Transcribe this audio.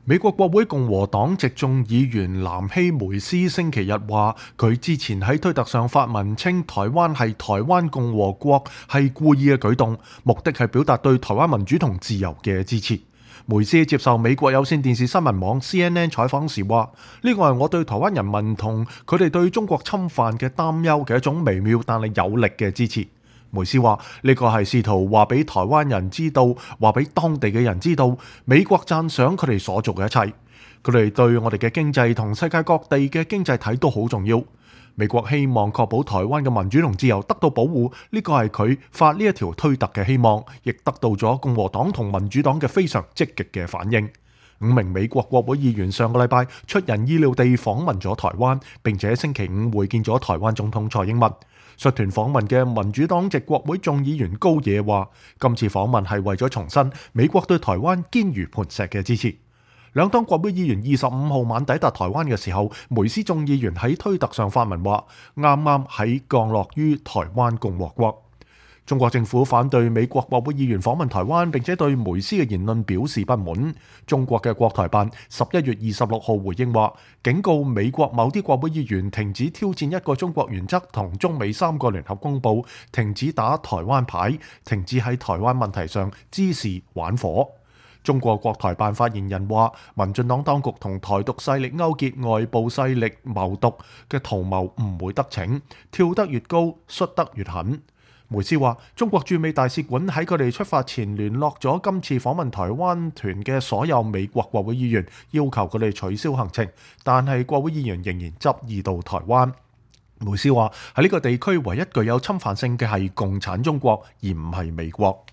美國國會共和黨籍眾議員南希梅斯星期日話，佢之前喺推特上發文稱台灣係台灣共和國係故意嘅舉動，目的係表達對台灣民主同自由嘅支持。梅斯接受美國有線電視新聞網 CNN 採訪時話：呢個係我對台灣人民同佢哋對中國侵犯嘅擔憂嘅一種微妙但係有力嘅支持。梅斯話：呢個係試圖話俾台灣人知道，話俾當地嘅人知道，美國讚賞佢哋所做嘅一切，佢哋對我哋嘅經濟同世界各地嘅經濟體都好重要。美國希望確保台灣嘅民主同自由得到保護，呢個係佢發呢一條推特嘅希望，亦得到咗共和黨同民主黨嘅非常積極嘅反應。5名美國國會議員上個禮拜出人意料地訪問咗台灣，並且星期五會見咗台灣總統蔡英文。率團訪問嘅民主黨籍國會眾議員高野話：今次訪問係為咗重申美國對台灣堅如磐石嘅支持。兩黨國會議員25號晚抵達台灣嘅時候，梅斯眾議員喺推特上發文話：啱啱喺降落於台灣共和國。中國政府反對美國國會議員訪問台灣，並且對梅斯嘅言論表示不滿。中國嘅國台辦11月26號回應話，警告美國某啲國會議員停止挑戰一個中國原則同中美3個聯合公報，停止打台灣牌，停止喺台灣問題上滋事玩火。中國國台辦發言人話，民進黨當局同台獨勢力勾結外部勢力謀獨嘅圖謀唔會得逞，跳得越高，摔得越狠。梅斯話：中國駐美大使館喺佢哋出發前聯絡咗今次訪問台灣團嘅所有美國國會議員，要求佢哋取消行程，但係國會議員仍然執意到台灣。梅斯話：喺呢個地區唯一具有侵犯性嘅係共產中國，而唔係美國。